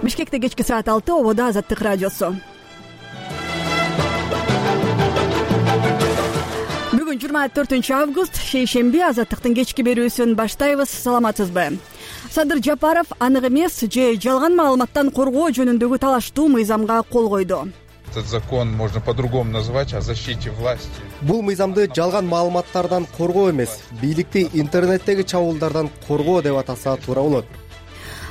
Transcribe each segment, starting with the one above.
Бишкекте кечки саат 6, ободо Азаттык радиосу. Бүгүн 24-август, шейшемби, Азаттыктын кечки берүүсүн баштайбыз. Саламатсызбы? Садыр Жапаров анык эмес же жалган маалыматтан коргоо жөнүндөгү талаштуу мыйзамга кол койду. Этот закон можно по-другому назвать о защите власти. Бул мыйзамды жалган маалыматтардан коргоо эмес, бийликти интернеттеги чабуулдардан коргоо деп атаса туура болот.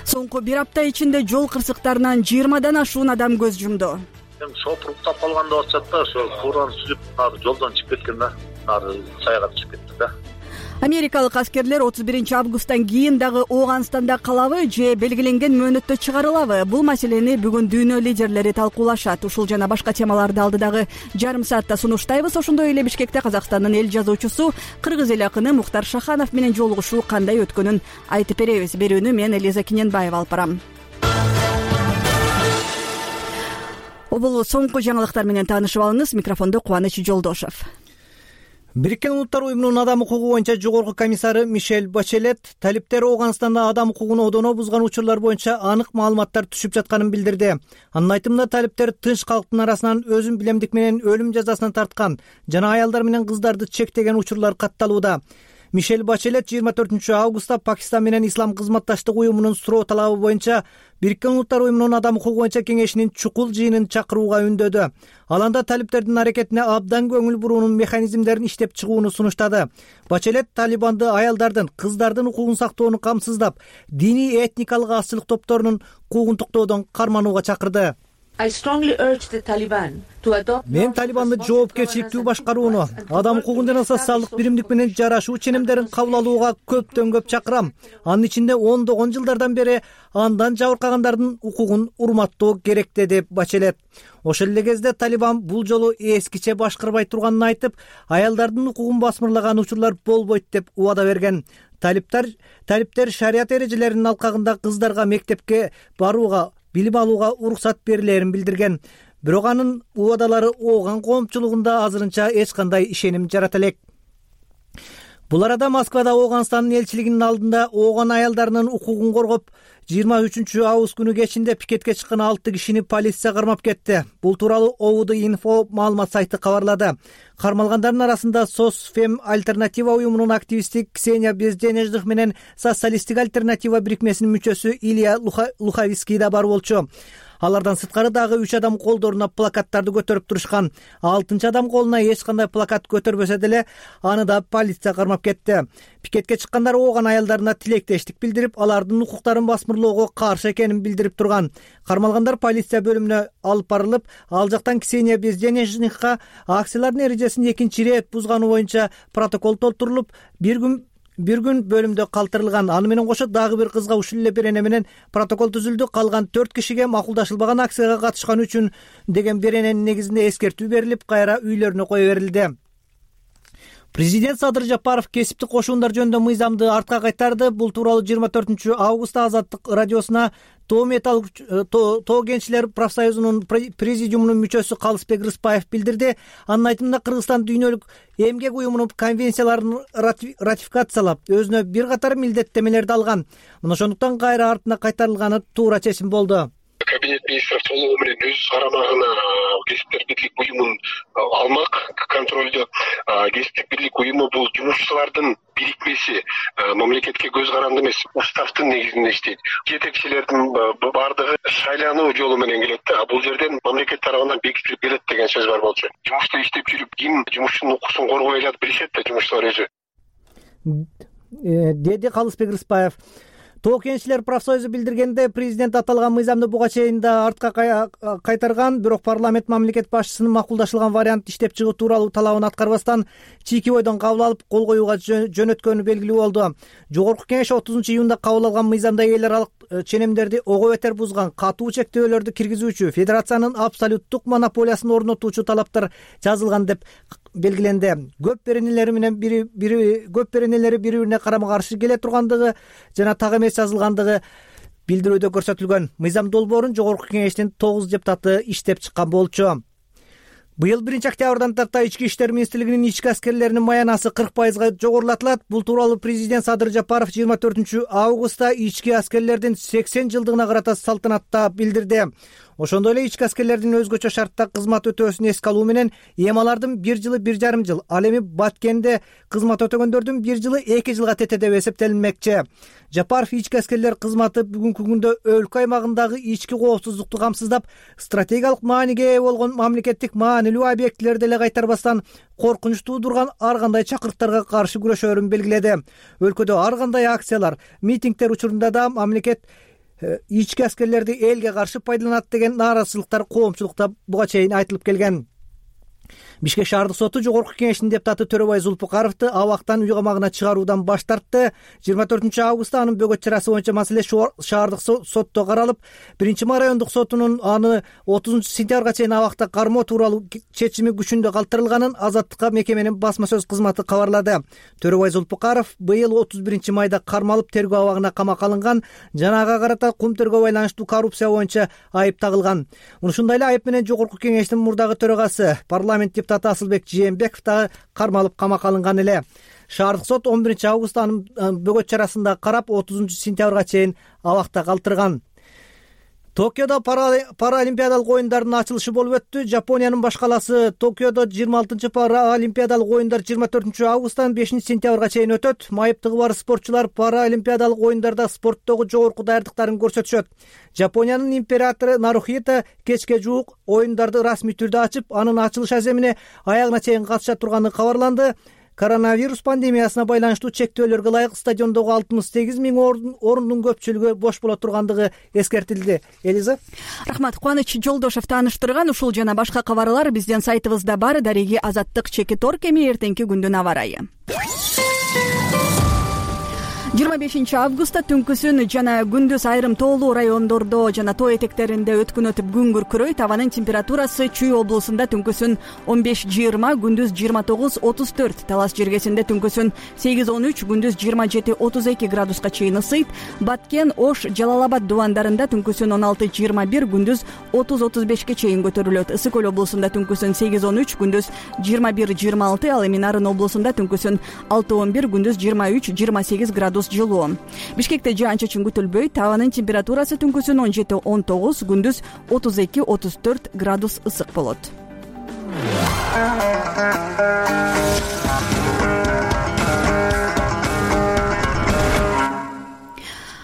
Соңку бир апта ичинде жол кырсыктарынан 20дан ашуун адам көз жумду. Шопур уктап калган деп атышат да, ошо фураны сүзүп жолдон чыгып кеткен да, сайга чыгып кетти да. Америкалык аскерлер 31-августтан кийин дагы Ооганстанда калабы же белгиленген мөөнөттө чыгарылабы? Бул маселени бүгүн дүйнө лидерлери талкуулашат. Ушул жана башка темаларды алдыдагы жарым саатта сунуштайбыз. Ошондой эле Бишкекте Казакстандын эл жазуучусу, кыргыз эл акыны Мухтар Шаханов менен жолугушуу кандай өткөнүн айтып беребиз. Берүүнү мен Элиза Киненбаева алып барам. Бул соңку жаңылыктар менен таанышып алыңыз. Микрофондо Кубаныч Жолдошов. Бириккен Улуттар уюмунун адам укугу боюнча жогорку комиссары Мишель Бачелет талиптер Ооганстанда адам укугун одоно бузган учурлар боюнча анык маалыматтар түшүп жатканын билдирди. Анын айтымында талиптер тынч калктын арасынан өзүн билемдик менен өлүм жазасына тарткан жана аялдар менен кыздарды чектеген учурлар катталууда. Мишель Бачелет 24-августта Пакистан менен Ислам кызматташтык уюмунун суроо талабы боюнча Бириккен Улуттар уюмунун адам укугу боюнча кеңешинин чукул жыйынын чакырууга үндөдү. Ал анда талиптердин аракетине абдан көңүл буруунун механизмдерин иштеп чыгууну сунуштады. Бачелет Талибанды аялдардын, кыздардын укугун сактоону камсыздап, диний этникалык азчылык топторунун укугун токтоодон карманууга чакырды. Мен Талибанды жоопкерчиликтүү башкарууну, адам укугун жана социалдык биримдик менен жарашуу ченемдерин кабыл алууга көптөн көп чакырам. Анын ичинде ондогон жылдардан бери андан жабыркагандардын укугун урматтоо керек, деди Бачелет. Ошол эле кезде Талибан бул жолу эскиче башкарбай турганын айтып, аялдардын укугун басмырлаган учурлар болбойт деп убада берген. Талиптер шарият эрежелеринин алкагында кыздарга мектепке барууга, билим алууга уруксат берилерин билдирген. Бирок анын убадалары Ооган коомчулугунда азырынча эч кандай ишеним жарата элек. Бул арада Москвада Ооганстандын элчилигинин алдында Ооган аялдарынын укугун коргоп 23-август күнү кечинде пикетке чыккан 6 кишини полиция кармап кетти. Бул тууралуу OVD-Info маалымат сайты кабарлады. Кармалгандардын арасында Сосфем альтернатива уюмунун активисти Ксения Безденежных менен Социалисттик альтернатива бирикмесинин мүчөсү Илья Луховицкий да бар болчу. Алардан сырткары дагы 3 адам колдоруна плакаттарды көтөрүп турушкан. 6 адам колуна эч кандай плакат көтөрбөсө деле аны да полиция кармап кетти. Пикетке чыккандар Ооган аялдарына тилектештик билдирип, алардын укуктарын басмырлоого каршы экенин билдирип турган. Кармалгандар полиция бөлүмүнө алып барылып, ал жактан Ксения Безденежникка акциялардын эрежесин 2 ирет бузганы боюнча протокол толтурулуп, бир күн бөлүмдө калтырылган. Аны менен кошо дагы бир кызга ушул эле берене менен протокол түзүлдү. Калган 4 кишиге макулдашылбаган акцияга катышкан үчүн деген берененин негизинде эскертүү берилип, кайра үйлөрүнө кое берилди. Президент Садыр Жапаров кесиптик кошуундар жөнүндө мыйзамды артка кайтарды. Бул тууралуу 24-августта Азаттык радиосуна Тоо кенчилер профсоюзунун президиумунун мүчөсү Калысбек Рыспаев билдирди. Анын айтымында Кыргызстан дүйнөлүк эмгек уюмунун конвенцияларын ратификациялап, өзүнө бир катар милдеттемелерди алган. Мына ошондуктан кайра артына кайтарылганы туура чечим болду. Кабинет министров толугу менен өз карамагына Кесиптер бирлик уюмун алмак контролдо. Кесиптик бирлик уюму бул жумушчулардын бирикмеси, мамлекетке көз каранды эмес, уставдын негизинде иштейт. Жетекчилердин бардыгы шайлануу жолу менен келет да. Бул жерден мамлекет тарабынан бекитилип келет деген сөз бар болчу. Жумушта иштеп жүрүп ким жумушчунун укугун коргой алат билишет да жумушчулар өзү, деди Калысбек Рыспаев. Тоо кенчилер профсоюзу билдиргенде, президент аталган мыйзамды буга чейин да артка кайтарган, бирок парламент мамлекет башчысынын макулдашылган вариант иштеп чыгуу тууралуу талабын аткарбастан чийки бойдон кабыл алып, кол коюуга жөнөткөнү белгилүү болду. Жогорку кеңеш 30-июнда кабыл алган мыйзамда эл аралык ченемдерди ого бетер бузган, катуу чектөөлөрдү киргизүүчү, федерациянын абсолюттук монополиясын орнотуучу талаптар жазылган деп белгиленди. Көп беренелери бири-бирине карама каршы келе тургандыгы жана так эмес жазылгандыгы билдирүүдө көрсөтүлгөн. Мыйзам долбоорун жогорку кеңештин 9 депутаты иштеп чыккан болчу. Быйыл 1-октябрдан тарта Ички иштер министрлигинин ички аскерлеринин маянасы 40% жогорулатылат. Бул тууралуу президент Садыр Жапаров 24-августта ички аскерлердин 80 жылдыгына карата салтанатта билдирди. Ошондой эле ички аскерлердин өзгөчө шартта кызмат өтөөсүн эске алуу менен эми алардын 1 жылы 1,5 жыл, ал эми Баткенде кызмат өтөгөндөрдүн 1 жылы 2 жылга тете деп эсептелинмекчи. Жапаров ички аскерлер кызматы бүгүнкү күндө өлкө аймагындагы ички коопсуздукту камсыздап, стратегиялык мааниге ээ болгон мамлекеттик маанилүү объектилерди эле кайтарбастан коркунуч туудурган ар кандай чакырыктарга каршы күрөшөөрүн белгиледи. Өлкөдө ар кандай акциялар, митингдер учурунда да мамлекет ички аскерлерди элге каршы пайдаланат деген нааразычылыктар коомчулукта буга чейин айтылып келген. Бишкек шаардык соту жогорку кеңештин депутаты Төрөбай Зулпукаровду абактан үй камагына чыгаруудан баш тартты. 24-августта анын бөгөт чарасы боюнча маселе шаардык сотто каралып, 1-ма райондук сотунун аны 30-сентябрга чейин абакта кармоо тууралуу чечими күчүндө калтырылганын Азаттыкка мекеменин басма сөз кызматы кабарлады. Төрөбай Зулпукаров быйыл 31-майда кармалып тергөө абагына камакка алынган, жана ага карата кумтөргө байланыштуу коррупция боюнча айып тагылган. Ушундай эле айып менен жогорку кеңештин мурдагы төрагасы парламент депутаты Асылбек Жээнбеков да кармалып камакка алынган эле. Шаардык сот 11-августта анын бөгөт чарасында карап 30-сентябрга чейин абакта калтырган. Токиодо паралимпиадалык оюндардын ачылышы болуп өттү. Жапониянын баш каласы Токиодо 26-чы паралимпиадалык оюндар 24-августтан 5-сентябрга чейин өтөт. Майыптыгы бар спортчулар паралимпиадалык оюндарда спорттогу жогорку даярдыктарын көрсөтүшөт. Жапониянын императору Нарухито кечке жуук оюндарды расмий түрдө ачып, анын ачылыш аземине аягына чейин катыша турганы кабарланды. Коронавирус пандемиясына байланыштуу чектөөлөргө ылайык стадиондогу 68 000 орундун көпчүлүгү бош боло тургандыгы эскертилди. Элиза. Рахмат. Кубаныч Жолдошов тааныштырган. Ушул жана башка кабарлар биздин сайтыбызда бар. Дареги Азаттык Чекиторг. Эми эртеңки күндүн аба ырайы. 25-августта түнкүсүн жана күндүз айрым тоолуу райондордо жана тоо этектеринде өткүн өтүп күн күркүрөйт. Абанын температурасы Чүй облусунда түнкүсүн 15-20, күндүз 29-34, Талас жергесинде түнкүсүн 8-13, күндүз 27-32 градуска чейин ысыйт. Баткен, Ош, Жалал Абад дубандарында түнкүсүн 16-21, күндүз 30-35 чейин көтөрүлөт. Ысык Көл облусунда түнкүсүн 8-13, күндүз 21-26, ал эми Нарын облусунда түнкүсүн 6-11, күндүз 23-28 градус жылуу. Бишкекте жаан-чачын күтүлбөйт. Абанын температурасы түнкүсүн 17-19, күндүз 32-34 градус ысык болот.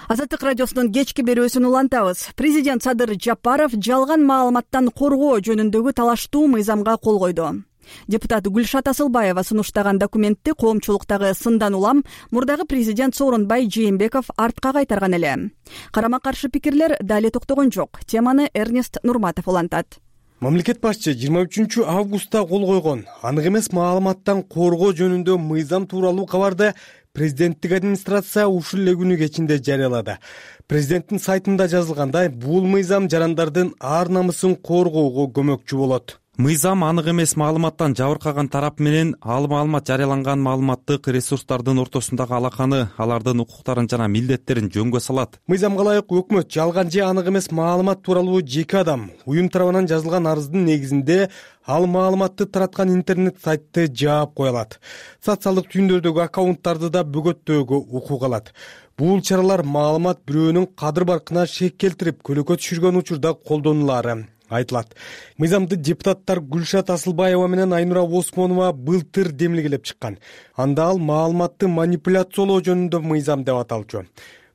Азаттык радиосунун кечки берүүсүн улантабыз. Президент Садыр Жапаров жалган маалыматтан коргоо жөнүндөгү талаштуу мыйзамга кол койду. Депутат Гүлшат Асылбаева сунуштаган документти коомчулуктагы сындан улам мурдагы президент Сооронбай Жээнбеков артка кайтарган эле. Карама-каршы пикирлер дали токтогон жок. Теманы Эрнест Нурматов улантат. Мамлекет башчы 23-августта кол койгон анык эмес маалыматтан коргоо жөнүндө мыйзам тууралуу кабарды президенттик администрация ушул эле күнү кечинде жарыялады. Президенттин сайтында жазылгандай, бул мыйзам жарандардын ар намысын коргоого көмөкчү болот. Мыйзам анык эмес маалыматтан жабыркаган тарап менен ал маалымат жарыяланган маалыматтык ресурстардын ортосундагы алаканы, алардын укуктарын жана милдеттерин жөнгө салат. Мыйзамга ылайык өкмөт жалган же анык эмес маалымат тууралуу жеке адам, уюм тарабынан жазылган арыздын негизинде ал маалыматты тараткан интернет сайтты жаап кое алат. Социалдык түйүндөрдөгү аккаунттарды да бөгөттөөгө укук алат. Бул чаралар маалымат бирөөнүн кадыр баркына шек келтирип, көлөкө түшүргөн учурда колдонулаары айтылат. Мыйзамды депутаттар Гүлшат Асылбаева менен Айнура Осмонова былтыр демилгелеп чыккан. Анда ал маалыматты манипуляциялоо жөнүндө мыйзам деп аталчу.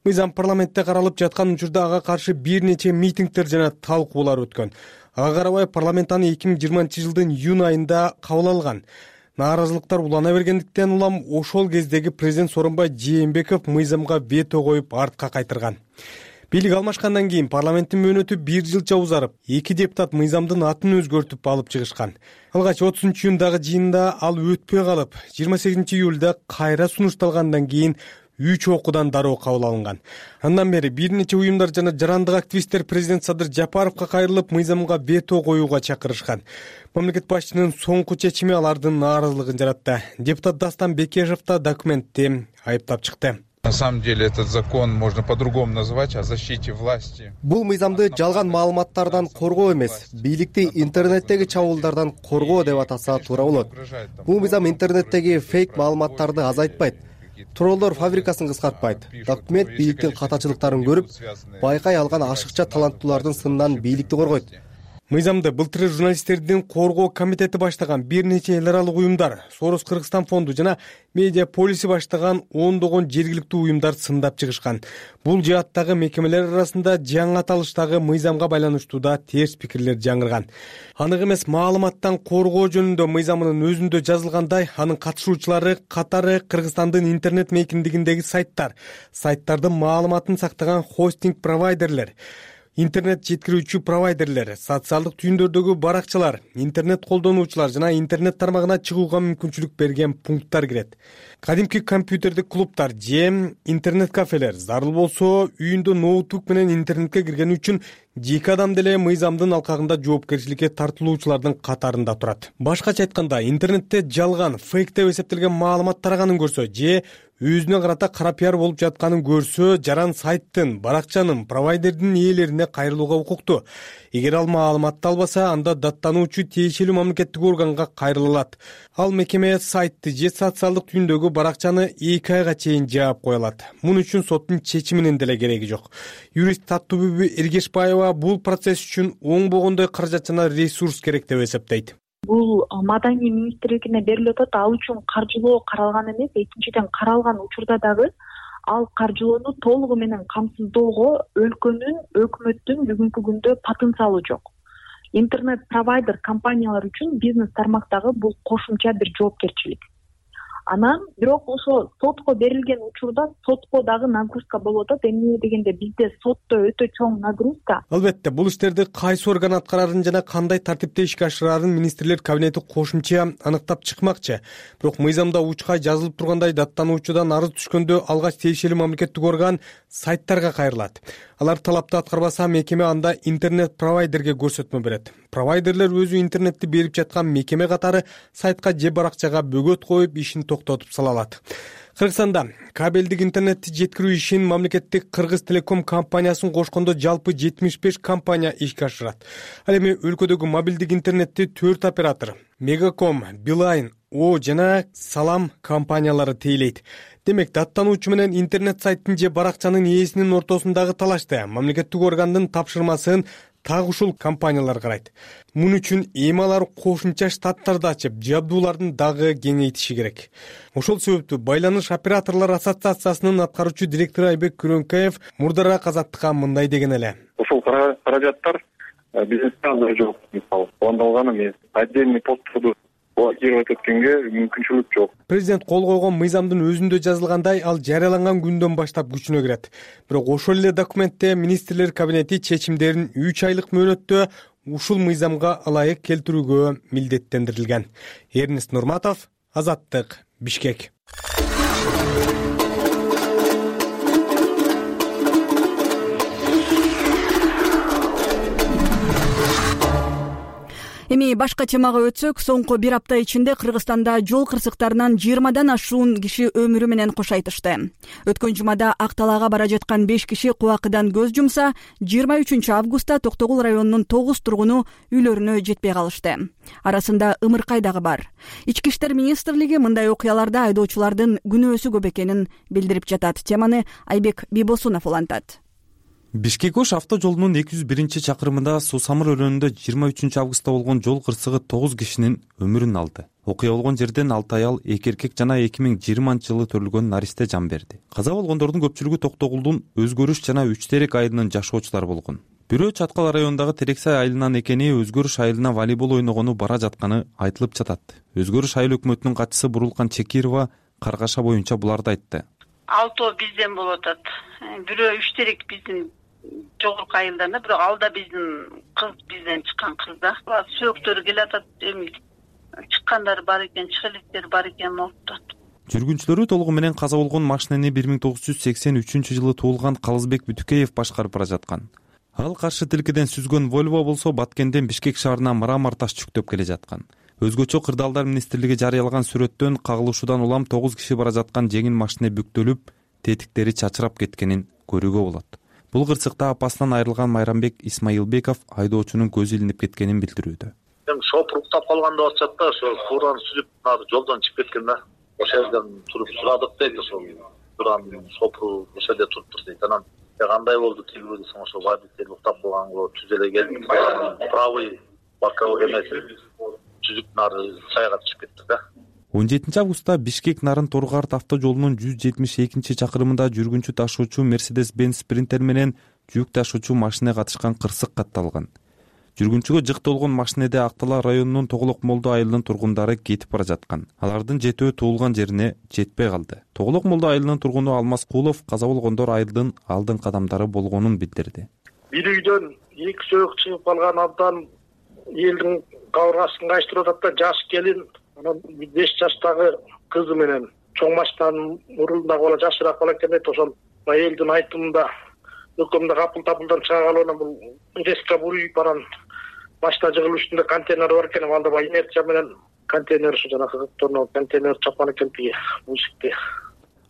Мыйзам парламентте каралып жаткан учурда ага каршы бир нече митингдер жана талкуулар өткөн. Ага карабай парламент аны 2020-жылдын июнь айында кабыл алган. Нааразылыктар улана бергендиктен улам ошол кездеги президент Сооронбай Жээнбеков мыйзамга вето коюп артка кайтырган. Бийлик алмашкандан кийин парламенттин мөөнөтү 1 жылча узарып, 2 депутат мыйзамдын атын өзгөртүп алып чыгышкан. Алгач 30-июндагы жыйында ал өтпөй калып, 28-июлда кайра сунушталгандан кийин 3 окуудан дароо кабыл алынган. Андан бери бир нече уюмдар жана жарандык активисттер президент Садыр Жапаровго кайрылып, мыйзамга вето коюуга чакырышкан. Мамлекет башчынын соңку чечими алардын нааразылыгын жаратты. Депутат Дастан Бекешев да документти айыптап чыкты. На самом деле этот закон можно по-другому назвать, о защите власти. Бул мыйзамды жалган маалыматтардан коргоо эмес, бийликти интернеттеги чабуулдардан коргоо деп атаса туура болот. Бул мыйзам интернеттеги фейк маалыматтарды азайтпайт, троллор фабрикасын кыскартпайт. Документ бийликтин катачылыктарын көрүп, байкай алган ашыкча таланттуулардын сынынан бийликти коргойт. Мыйзамды былтыр журналисттердин коргоо комитети баштаган бир нече эл аралык уюмдар, Сорос Кыргызстан фонду жана Медиа Полиси баштаган ондогон жергиликтүү уюмдар сындап чыгышкан. Бул жааттагы мекемелер арасында жаңы аталыштагы мыйзамга байланыштуу да терс пикирлер жаңырган. Анык эмес маалыматтан коргоо жөнүндө мыйзамынын өзүндө жазылгандай, анын катышуучулары катары Кыргызстандын интернет мейкиндигиндеги сайттардын маалыматын сактаган хостинг провайдерлер, интернет жеткирүүчү провайдерлер, социалдык түйүндөрдөгү баракчалар, интернет колдонуучулар жана интернет тармагына чыгууга мүмкүнчүлүк берген пункттар кирет. Кадимки компьютердик клубтар же интернет кафелер, зарыл болсо үйүндө ноутбук менен интернетке киргени үчүн жеке адам деле мыйзамдын алкагында жоопкерчиликке тартылуучулардын катарында турат. Башкача айтканда, интернетте жалган, фейк деп эсептелген маалымат тараганын көрсө же өзүнө карата кара пиар болуп жатканын көрсө, жаран сайттын, баракчанын, провайдердин ээлерине кайрылууга укуктуу. Эгер ал маалыматты албаса, анда даттануучу тиешелүү мамлекеттик органга кайрыла алат. Ал мекеме сайтты же социалдык түйүндөгү баракчаны 2 айга чейин жаап кое алат. Муну үчүн соттун чечиминин деле кереги жок. Юрист Таттыбүбү Эргешбаева бул процесс үчүн оңбогондой каражат жана ресурс керек деп эсептейт. Бул Маданий министрлигине берилип атат, ал үчүн каржылоо каралган эмес. Экинчиден, каралган учурда дагы ал каржылоону толугу менен камсыздоого өлкөнүн, өкмөттүн бүгүнкү күндө потенциалы жок. Интернет провайдер компаниялар үчүн бизнес тармактагы бул кошумча бир жоопкерчилик. Анан бирок ошо сотко берилген учурда сотко дагы нагрузка болуп атат. Эмне дегенде бизде сотто өтө чоң нагрузка. Албетте, бул иштерди кайсы орган аткарарын жана кандай тартипте ишке ашырарын министрлер кабинети кошумча аныктап чыкмакчы. Бирок мыйзамда учкай жазылып тургандай, даттануучудан арыз түшкөндө алгач тиешелүү мамлекеттик орган сайттарга кайрылат. Алар талапты аткарбаса, мекеме анда интернет провайдерге көрсөтмө берет. Провайдерлер өзү интернетти берип жаткан мекеме катары сайтка же баракчага бөгөт коюп, ишин токтотуп сала алат. Кыргызстанда кабелдик интернетти жеткирүү ишин мамлекеттик Кыргыз Телеком компаниясын кошкондо жалпы 75 компания ишке ашырат. Ал эми өлкөдөгү мобилдик интернетти 4 оператор Мегаком, Билайн, О жана Салам компаниялары тейлейт. Демек, даттануучу менен интернет сайттын же баракчанын ээсинин ортосундагы талашты мамлекеттик органдын тапшырмасын так ушул компаниялар карайт. Муну үчүн эми алар кошумча штаттарды ачып, жабдуулардын дагы кеңейтиши керек. Ошол себептүү Байланыш операторлор ассоциациясынын аткаруучу директору Айбек Күрөнкаев мурдараак Азаттыкка мындай деген эле. Ошол каражаттар бизнесте азыр жок. Мисалы, пландалган эмес. Отдельный постторду блокировать эткенге мүмкүнчүлүк жок. Президент кол койгон мыйзамдын өзүндө жазылгандай, ал жарыяланган күндөн баштап күчүнө кирет. Бирок ошол эле документте министрлер кабинети чечимдерин 3 айлык мөөнөттө ушул мыйзамга ылайык келтирүүгө милдеттендирилген. Эрнест Нурматов, Азаттык, Бишкек. Эми башка темага өтсөк, соңку бир апта ичинде Кыргызстанда жол кырсыктарынан 20дан ашуун киши өмүрү менен кош айтышты. Өткөн жумада Акталаага бара жаткан 5 киши кубакыдан көз жумса, 23 августта Токтогул районунун 9 тургуну үйлөрүнө жетпей калышты. Арасында Ымыркай дагы бар. Ички иштер министрлиги мындай окуяларда айдоочулардын күнөөсү көп экенин билдирип жатат. Теманы Айбек Бибосунов улантат. Бишкек-Ош авто жолунун 201-чакырымында Суу Самыр өрөөнүндө 23 августта болгон жол кырсыгы 9 кишинин өмүрүн алды. Окуя болгон жерден 6 аял, 2 эркек жана 2020-жылы төрүлгөн наристе жан берди. Каза болгондордун көпчүлүгү Токтогулдун Өзгөрүш жана Үч Терек айылынын жашоочулары болгон. Бирөө Чаткал районундагы Терексай айылынан экени, Өзгөрүш айылына волейбол ойногону бара жатканы айтылып жатат. Өзгөрүш айыл өкмөтүнүн катчысы Бурулкан Чекирова Каргаша боюнча буларды айтты. 6 бизден болуп атат. Бирөө Үч Терек биздин жогорку айылдан, бирок алда биздин кыз, бизден чыккан кыз да. Сөөктөрү келатат, эми чыккандар бар экен, чыгылыктер бар экен ортот. Жүргүнчүлөрү толугу менен каза болгон машинени 1983-жылы туулган Калызбек Бүтүкеев башкарып бара жаткан. Ал каршы тилкеден сүзгөн Volvo болсо Баткенден Бишкек шаарына мрамор таш жүктөп келе жаткан. Өзгөчө Кырдаалдар министрлиги жарыялаган сүрөттөн кагылышуудан улам 9 киши бара жаткан жеңил машина бүктөлүп, тетиктери чачырап кеткенин көрүүгө болот. Бул кырсыкта апасынан айрылган Майрамбек Исмаилбеков айдоочунун көзү илинип кеткенин билдирүүдө. Эми шопур уктап калган деп атышат да, ошо фураны сүзүп жолдон чыгып кеткен да. Ошол жерден туруп сурадык дейт, ошол фураны шопуру ошол жерде туруптур дейт. Анан кандай болду тилбеди десең, ошо водитель уктап калганго түз эле келип правый боковой эмеси түзүп сайга чыгып кетти да. 17 августта Бишкек Нарын Торгарт автожолунун 172-чакырымында жүргүнчү ташуучу Mercedes-Benz Sprinter менен жүк ташуучу машина катышкан кырсык катталган. Жүргүнчүгө жыктолгон машинеде Актала районунун Тоголок Молдо айылынын тургундары кетип бара жаткан. Алардын жетөө туулган жерине жетпей калды. Тоголок Молдо айылынын тургуну Алмаз Кулов каза болгондор айылдын алдыңкы адамдары болгонун билдирди. Бир үйдөн 2 сөйүк чыгып калган, абдан элдин кабыргасын кайыштырып атат да, жаш келин, анан 5 жаштагы кызы менен чоң машинанын мурдундагы бала жашыраак бала экен дейт. Ошол элдин айтымында өкөмдө капыл-тапылдан чыга калып, анан бул резко буруп анан машина жыгылуу үстүндө контейнер бар экен, анда инерция менен контейнер ушу жанагы торно контейнер чапкан экен тиги бушикти.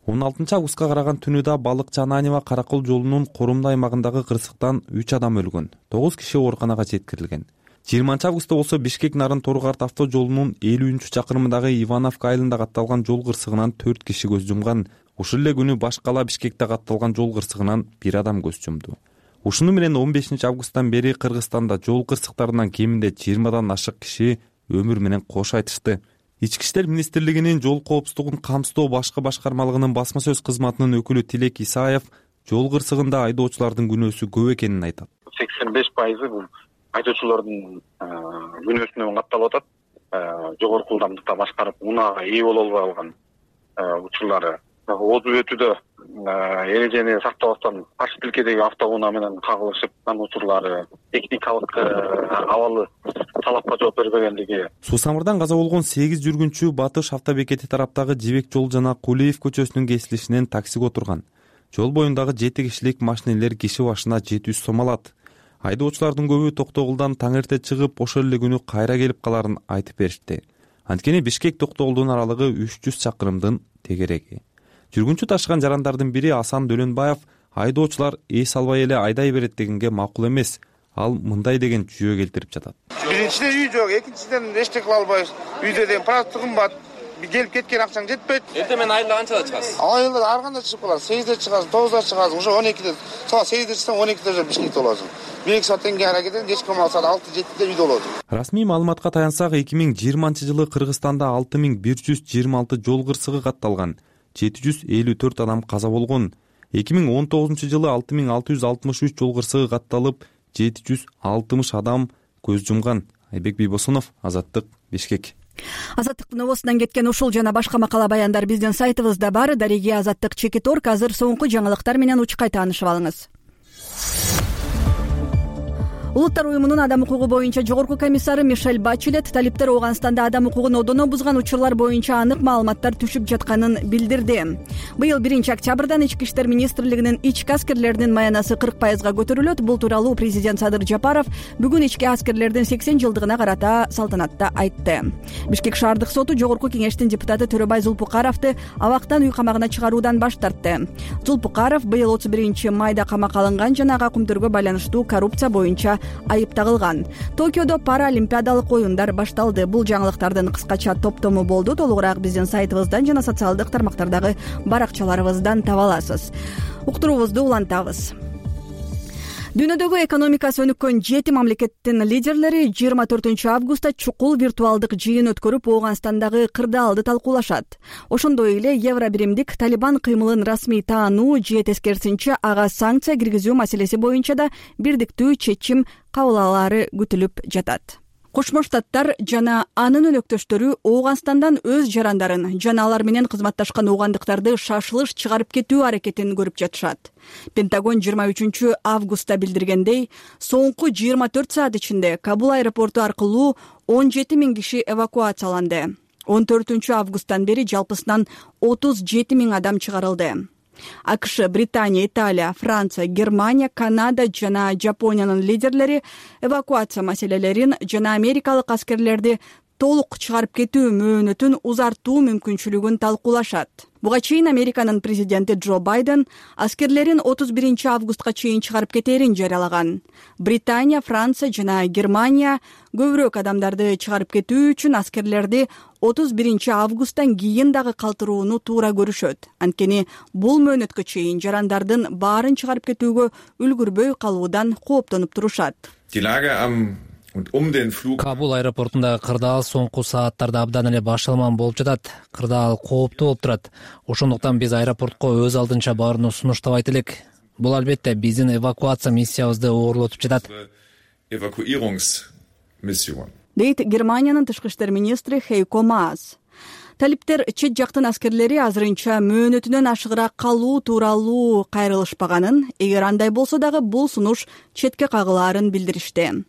16 августка караган түнүдө Балыкчы Ананева Каракол жолунун Корумду аймагындагы кырсыктан 3 адам өлгөн, 9 киши ооруканага жеткирилген. 20 августта болсо Бишкек Нарын Торгарт автожолунун 50-чакырымындагы Ивановка айылында катталган жол кырсыгынан 4 киши көз жумган. Ушул эле күнү Башкала Бишкекте катталган жол кырсыгынан 1 адам көз жумду. Ушуну менен 15 августтан бери Кыргызстанда жол кырсыктарынан кеминде 20дан ашык киши өмүр менен кош айтышты. Ички иштер министрлигинин жол коопсуздугун камсыздоо башкы башкармалыгынын басма сөз кызматынын өкүлү Тилек Исаев жол кырсыгында айдоочулардын күнөөсү көп экенин айтат. 85% бул айдоочулардын күнөөсүнө катталып атат. Жогорку ылдамдыкта башкарып, унаага ээ боло албай калган учурлары. Отуз өтүүдө эрежени сактабастан каршы тилкедеги автоунаа менен кагылышып калган учурлары, техникалык абалы талапка жооп бербегендиги. Суу самырдан каза болгон 8 жүргүнчү Батыш автобекети тараптагы Жибек жол жана Кулиев көчөсүнүн кесилишинен таксиге отурган. Жол боюндагы 7 кишилик машинелер киши башына 700 сом алат. Айдоочулардын көбү Токтогулдан таң эрте чыгып, ошол эле күнү кайра келип каларын айтып беришти. Анткени Бишкек Токтогулдун аралыгы 300 чакырымдын тегереги. Жүргүнчү ташыган жарандардын бири Асан Дөлөнбаев айдоочулар эс албай эле айдай берет дегенге макул эмес. Ал мындай деген жүйө келтирип жатат. Биринчиден үй жок, экинчиден эчтеке кыла албайбыз. Үйдө деген продукты кымбат. Келип кеткен акчаң жетпейт. Эртең айылда канчада чыгасыз? Айылда ар кандай чыгып каласың. 8де чыгасың, 9да чыгасың, ошо 12де. Саат 8де чыксаң 12де Бишкекте болосуң. 1-2 сааттан кийин аракетен кечки саат 6-7де үйдө болосуң. Расмий маалыматка таянсак, 2020-жылы Кыргызстанда 6126 жол кырсыгы катталган. 754 адам каза болгон. 2019-жылы 6663 жол кырсыгы катталып, 760 адам көз жумган. Айбек Бийбосунов, Азаттык, Бишкек. Азаттыктын обосунан кеткен ушул жана башка макала баяндар биздин сайтыбызда бар. Дареги Азаттык Чекиторг. Азыр соңку жаңылыктар менен учкай таанышып алыңыз. Улуттар уюмунун адам укугу боюнча жогорку комиссары Мишель Бачелет талиптер Ооганстанда адам укугун одоно бузган учурлар боюнча анык маалыматтар түшүп жатканын билдирди. Быйыл 1-октябрдан Ички иштер министрлигинин ички аскерлеринин маянасы 40%га көтөрүлөт. Бул тууралуу президент Садыр Жапаров бүгүн ички аскерлердин 80 жылдыгына карата салтанатта айтты. Бишкек шаардык соту жогорку кеңештин депутаты Төрөбай Зулпукаровду абактан үй камагына чыгаруудан баш тартты. Зулпукаров быйыл 31-майда камакка алынган жана ага күмтөргө байланыштуу коррупция боюнча айыпталган. Токиодо паралимпиадалык оюндар башталды. Бул жаңылыктардын кыскача топтому болду. Толугураак биздин сайтыбыздан жана социалдык тармактардагы баракчаларыбыздан таба аласыз. Уктуруубузду улантабыз. Дүйнөдөгү экономикасы өнүккөн 7 мамлекеттин лидерлери 24 августта чукул виртуалдык жыйын өткөрүп, Ооганстандагы кырдаалды талкуулашат. Ошондой эле евро биримдик Талибан кыймылын расмий таануу же тескерисинче ага санкция киргизүү маселеси боюнча да бирдиктүү чечим кабыл алаары күтүлүп жатат. Кошмо Штаттар жана анын өнөктөштөрү Ооганстандан өз жарандарын жана алар менен кызматташкан оогандыктарды шашылыш чыгарып кетүү аракетин көрүп жатышат. Пентагон 23 августта билдиргендей, соңку 24 саат ичинде Кабул аэропорту аркылуу 17 000 киши эвакуацияланды. 14 августтан бери жалпысынан 37 000 адам чыгарылды. АКШ, Британия, Италия, Франция, Германия, Канада жана Жапониянын лидерлери эвакуация маселелерин жана америкалык аскерлерди толук чыгарып кетүү мөөнөтүн узартуу мүмкүнчүлүгүн талкуулашат. Буга чейин Американын президенти Джо Байден аскерлерин 31 августка чейин чыгарып кетерин жарыялаган. Британия, Франция жана Германия көбүрөөк адамдарды чыгарып кетүү үчүн аскерлерди 31 августтан кийин дагы калтырууну туура көрүшөт. Анткени бул мөөнөткө чейин жарандардын баарын чыгарып кетүүгө үлгүрбөй калуудан кооптонуп турушат. Кабул аэропортундагы кырдаал соңку сааттарда абдан эле башалман болуп жатат. Кырдаал кооптуу болуп турат. Ошондуктан биз аэропортко өз алдынча барууну сунуштабайт элек. Бул албетте биздин эвакуация миссиябызды оорлотуп жатат. Дейт Германиянын тышкы иштер министри Хейко Маас. Талиптер чет жактын аскерлери азырынча мөөнөтүнөн ашыгыраак калуу тууралуу кайрылышпаганын, эгер андай болсо дагы бул сунуш четке кагылаарын билдиришти.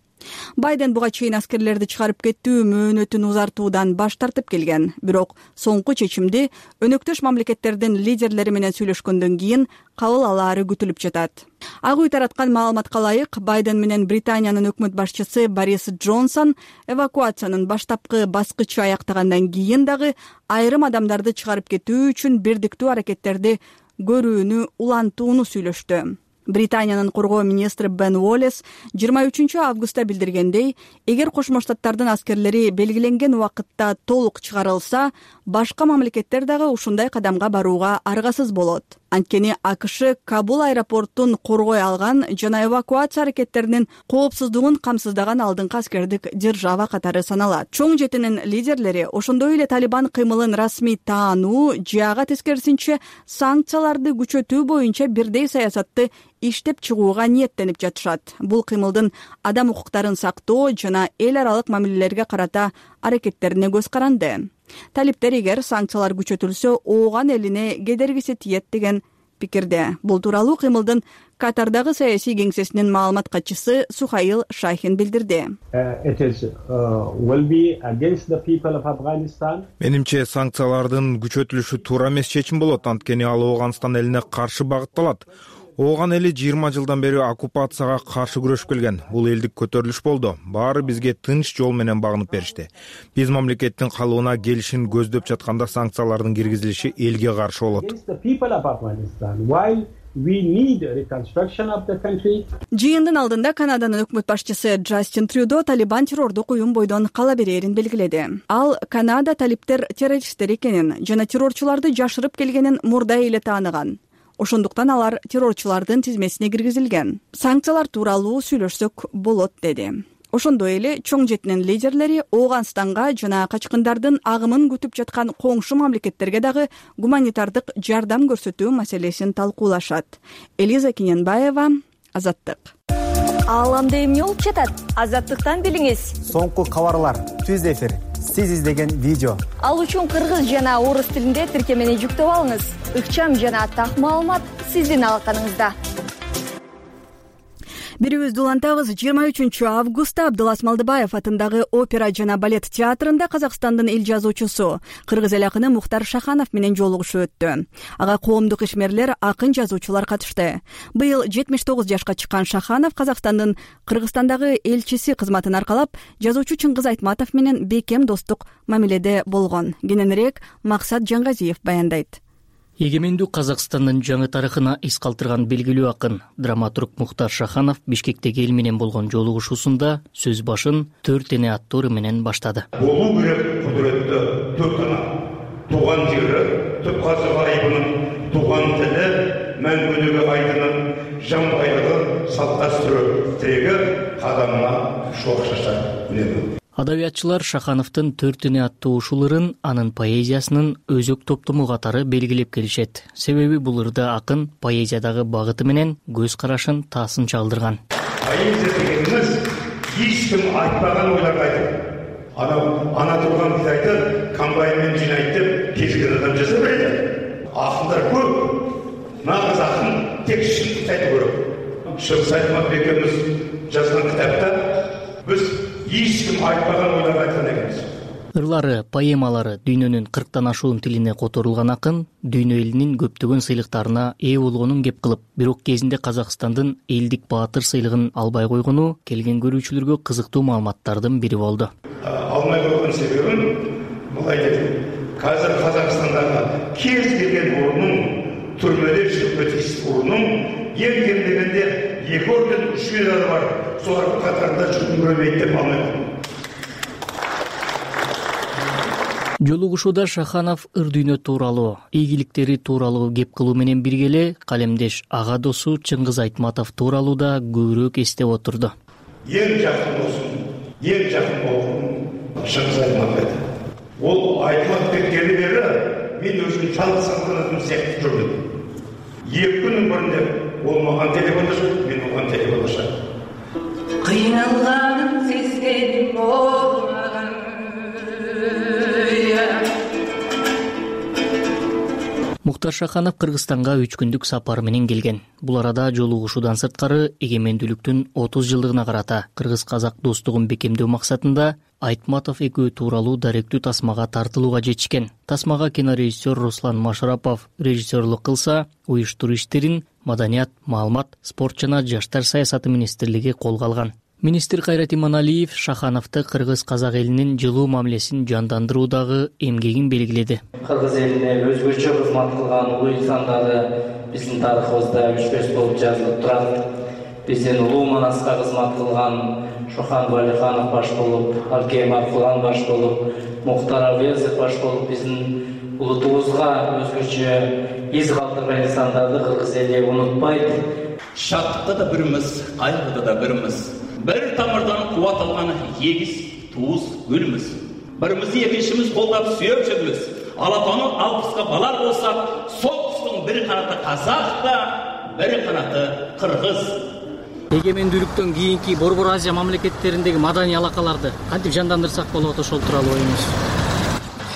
Байден буга чейин аскерлерди чыгарып кетүү мөөнөтүн узартуудан баш тартып келген. Бирок соңку чечимди өнөктөш мамлекеттердин лидерлери менен сүйлөшкөндөн кийин кабыл алаары күтүлүп жатат. Ак үй тараткан маалыматка ылайык, Байден менен Британиянын өкмөт башчысы Борис Джонсон эвакуациянын баштапкы баскычы аяктагандан кийин дагы айрым адамдарды чыгарып кетүү үчүн бирдиктүү аракеттерди көрүүнү улантууну сүйлөштү. Британиянын коргоо министри Бен Уоллес 23 августта билдиргендей, эгер Кошмо Штаттардын аскерлери белгиленген убакытта толук чыгарылса, башка мамлекеттер дагы ушундай кадамга барууга аргасыз болот. Анткени АКШ Кабул аэропортун коргой алган жана эвакуация аракеттеринин коопсуздугун камсыздаган алдыңкы аскердик держава катары саналат. Чоң жетинин лидерлери ошондой эле Талибан кыймылын расмий таануу же ага тескерисинче санкцияларды күчөтүү боюнча бирдей саясатты иштеп чыгууга ниеттенип жатышат. Бул кыймылдын адам укуктарын сактоо жана эл аралык мамилелерге карата аракеттерине көз каранды. Талиптер эгер санкциялар күчөтүлсө, ооган элине кедергиси тиет деген пикирде. Бул тууралуу кыймылдын Катардагы саясий кеңсесинин маалымат катчысы Сухаил Шахин билдирди. Менимче санкциялардын күчөтүлүшү туура эмес чечим болот, анткени ал Ооганстан элине каршы багытталат. Ооган эли 20 жылдан бери оккупацияга каршы күрөшүп келген. Бул элдик көтөрүлүш болду. Баары бизге тынч жол менен багынып беришти. Биз мамлекеттин калыбына келишин көздөп жатканда санкциялардын киргизилиши элге каршы болот. Жыйындын алдында Канаданын өкмөт башчысы Джастин Трюдо Талибан террордук уюм бойдон кала берерин белгиледи. Ал Канада талиптер террористтер экенин жана террорчуларды жашырып келгенин мурда эле тааныган. Ошондуктан алар террорчулардын тизмесине киргизилген. Санкциялар тууралуу сүйлөшсөк болот, деди. Ошондой эле чоң жетинин лидерлери Ооганстанга жана качкындардын агымын күтүп жаткан коңшу мамлекеттерге дагы гуманитардык жардам көрсөтүү маселесин талкуулашат. Элиза Кененбаева, Азаттык. Ааламда эмне болуп жатат? Азаттыктан билиңиз. Соңку кабарлар, түз эфир, сиз издеген видео. Ал үчүн кыргыз жана орус тилинде тиркемени жүктөп алыңыз. Ыкчам жана так маалымат сиздин алаканыңызда. Бирибизди улантабыз. 23 августта Абдылас Малдыбаев атындагы опера жана балет театрында Казакстандын эл жазуучусу, кыргыз эл акыны Мухтар Шаханов менен жолугушуу өттү. Ага коомдук ишмерлер, акын, жазуучулар катышты. Быйыл 79 жашка чыккан Шаханов Казакстандын Кыргызстандагы элчиси кызматын аркалап, жазуучу Чыңгыз Айтматов менен бекем достук мамиледе болгон. Кененирээк Максат Жаңгазиев баяндайт. Эгемендүү Казакстандын жаңы тарыхына эс калтырган белгилүү акын, драматург Мухтар Шаханов Бишкектеги эл менен болгон жолугушуусунда сөз башын 4 эне аттуу ыры менен баштады. Болуу керек кудуреттүү 4 ана. Туган жери, түп казыгы айбынын, туган тили, мәңгүлүгү айдынын, жан байлыгы, салт дәстүрү тиреги кадамына шоқшаша билем. Адабиятчылар Шахановдун 4 эне аттуу ушул ырын анын поэзиясынын өзөк топтому катары белгилеп келишет. Себеби бул ырда акын поэзиядагы багыты менен көз карашын таасын чалдырган. Поэзия дегенimiz эч ким айтпаган ойлорду айтып, ана турган бидайды комбайнмен жинайт деп кезген адам жасап берет. Акындар көп. Нагыз акын тек шындыкты айтуу керек. Чыңгыз Айтматов экөөбүз жазган китапта биз эч ким айтпаган ойлорду айткан экенбиз. Ырлары, поэмалары дүйнөнүн 40тан ашуун тилине которулган акын дүйнө элинин көптөгөн сыйлыктарына ээ болгонун кеп кылып, бирок кезинде Казакстандын элдик баатыр сыйлыгын албай койгону келген көрүүчүлөргө кызыктуу маалыматтардын бири болду. Алмай койгон себебин мындай деди. Қазір Қазақстандағы кез келген орынның, түрмеде жүріп өтіс орынның ең кемдегенде 2 орден 3 медалі бар. Солардың қатарында жүргім көрмейді деп алмаймын. Жолугушууда Шаханов ыр дүйнө тууралуу, ийгиликтери тууралуу кеп кылуу менен бирге эле калемдеш ага досу Чыңгыз Айтматов тууралуу да көбүрөөк эстеп отурду. Ең жақын досым, ең жақын болғым Чыңгыз Айтматов еді. Ол айтылып кеткені бері мен өзім жалғыз салтанатым сияқты жүрдім. 2 күннің бірінде ол маған телефондашып, мен оған телефондашам. Қиналғаным сезгенім болмаған. Муктар Шаханов Кыргызстанга 3 күндүк сапар менен келген. Бул арада жолугушуудан сырткары эгемендүүлүктүн 30 жылдыгына карата кыргыз-казак достугун бекемдөө максатында Айтматов экөө тууралуу даректүү тасмага тартылууга жетишкен. Тасмага кинорежиссер Руслан Машарапов режиссерлук кылса, уюштуруу иштерин Маданият, маалымат, спорт жана жаштар саясаты министрлиги колго алган. Министр Кайрат Иманалиев Шахановду кыргыз-казак элинин жылуу мамилесин жандандыруудагы эмгегин белгиледи. Кыргыз элине өзгөчө кызмат кылган улуу инсандары биздин тарыхыбызда өчпөс болуп жазылып турат. Биздин улуу Манаска кызмат кылган Шохан Валиханов баш болуп, Алкей Маркулан баш болуп, Мухтар Авезов баш болуп биздин улутубузга өзгөчө из калтырган инсандарды кыргыз эли унутпайт. Шаттыкта да бирimiz, кайгыда да бирimiz. Bir тамырдан кубат алган егиз туус гүлмүз. Бирimizi экинчimiz колдоп сүйөп жүрөбүз. Алатаны алпыска балар болсак, соғыстың бір канаты казак да, бір канаты кыргыз. Эгемендүүлүктөн кийинки Борбор Азия мамлекеттериндеги маданий алакаларды кантип жандандырсак болот, ошол тууралуу оюңуз?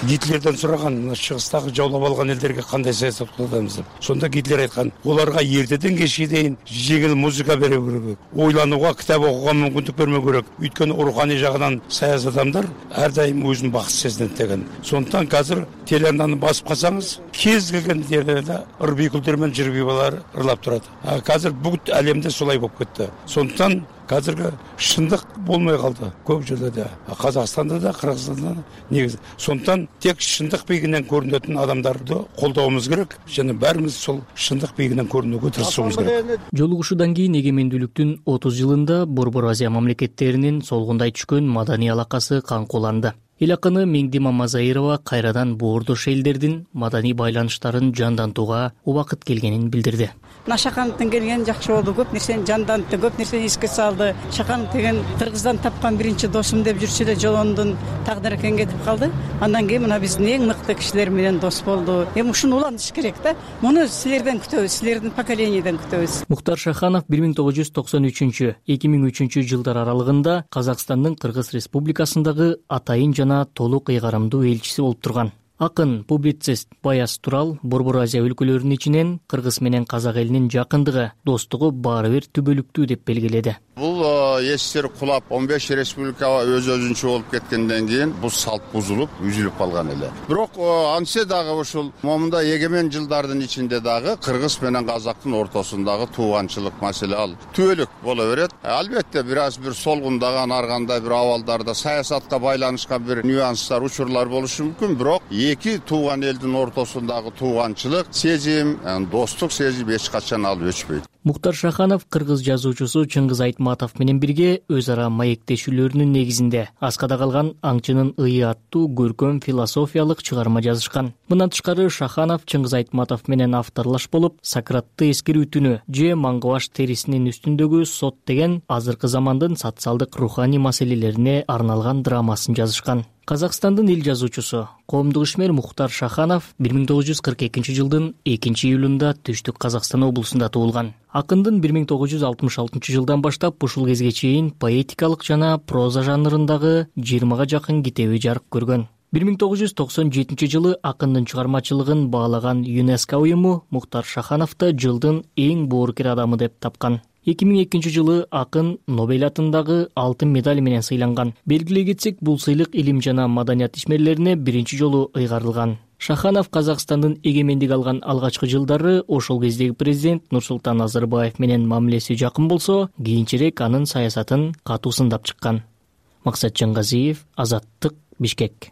Гитлерден сураган, мына чыгыстагы жаулап алган элдерге кандай саясат кылабыз деп. Сонда Гитлер айткан, оларга эртеден кечке дейин жеңил музыка бере керек. Ойланууга, китап окууга мүмкүндүк бермөө керек. Өйткөнү руханий жагынан саяз адамдар ар дайым өзүн бакыт сезинет деген. Сондуктан азыр телеарнаны басып калсаңыз, кез келген жерде ыр-бийкүлдөр менен жыр бийбалар ырлап турат. Азыр бүт әлемде солай болуп кетти. Сондуктан қазіргі шындық болмай қалды көп жерлерде. Қазақстанда да, Қырғызстанда да негізі. Сондықтан тек шындық биігінен көрінетін адамдарды қолдауымыз керек, және бәріміз сол шындық биігінен көрінуге тырысуымыз керек. Жолугушуудан кийин эгемендүүлүктүн 30 жылында Борбор Азия мамлекеттеринин солгундай түшкөн маданий алакасы каңкууланды. Эл акыны Меңди Мамазайырова кайрадан боордош элдердин маданий байланыштарын жандантууга убакыт келгенин билдирди. Шахановдун келгени жакшы болду, көп нерсени жандантты, көп нерсени эске салды. Шаханов деген Кыргыздан тапкан биринчи досум деп жүрчү эле Жолондун тагдыры экен кетип калды. Андан кийин мына биздин эң мыкты кишилер менен дос болду. Ушуну улантыш керек да. Муну силерден күтөбүз, силердин поколенияден күтөбүз. Муктар Шаханов 1993-2003 жылдар аралыгында Казакстандын Кыргыз Республикасындагы атайын жана толук ыйгарымдуу элчиси болуп турган. Акын, публицист Баяз Турал Борбор Азия өлкөлөрүнүн ичинен Кыргыз менен казак элинин жакындыгы, достугу баары бир түбөлүктүү деп белгиледи. Бул СССР кулап 15 республика өз-өзүнчө болуп кеткенден кийин бул салт бузулуп, үзүлүп калган эле. Бирок антсе дагы ушул момунда эгемен жылдардын ичинде дагы Кыргыз менен казактын ортосундагы тууганчылык маселе ал түбөлүк боло берет. Албетте бир солгундаган аргандай бир абалдарда саясатка байланышкан бир нюанстар, учурлар болушу мүмкүн, бирок эки тууган элдин ортосундагы тууганчылык сезим, достук сезим эч качан ал өчпөйт. Муктар Шаханов кыргыз жазуучусу Чыңгыз Айтматов менен бирге өз ара маектешүүлөрүнүн негизинде Аскада калган аңчынын ыйы аттуу көркөм философиялык чыгарма жазышкан. Мындан тышкары Шаханов Чыңгыз Айтматов менен авторлаш болуп, Сократты эскерүү түнү же Маңгыбаш терисинин үстүндөгү сот деген азыркы замандын социалдык руханий маселелерине арналган драмасын жазышкан. Казакстандын эл жазуучусу, коомдук ишмер Муктар Шаханов 1942 жылдын 2-июлунда Түштүк Казакстан облусунда туулган. Акындын 1966 жылдан баштап ушул кезге чейин поэтикалык жана проза жанрындагы 20га жакын китеби жарык көргөн. 1997 жылы акындын чыгармачылыгын баалаган ЮНЕСКО уюму Муктар Шахановду жылдын эң боорукер адамы деп тапкан. 2002 жылы акын Нобель атындагы алтын медаль менен сыйланган. Белгилей кетсек, бул сыйлык илим жана маданият ишмерлерине биринчи жолу ыйгарылган. Шаханов Казакстандын эгемендик алган алгачкы жылдары ошол кездеги президент Нурсултан Назарбаев менен мамилеси жакын болсо, кийинчерээк анын саясатын катуу сындап чыккан. Максат Жангазиев, Азаттык, Бишкек.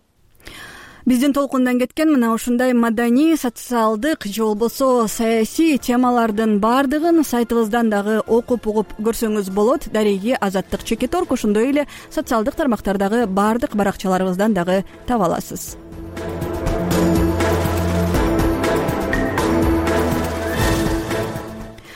биздин толкундан кеткен мына ушундай маданий, социалдык же болбосо саясий темалардын баардыгын сайтыбыздан дагы окуп угуп көрсөңүз болот. Дареги Азаттык Чекиторг, ошондой эле социалдык тармактардагы баардык баракчаларыбыздан дагы таба аласыз.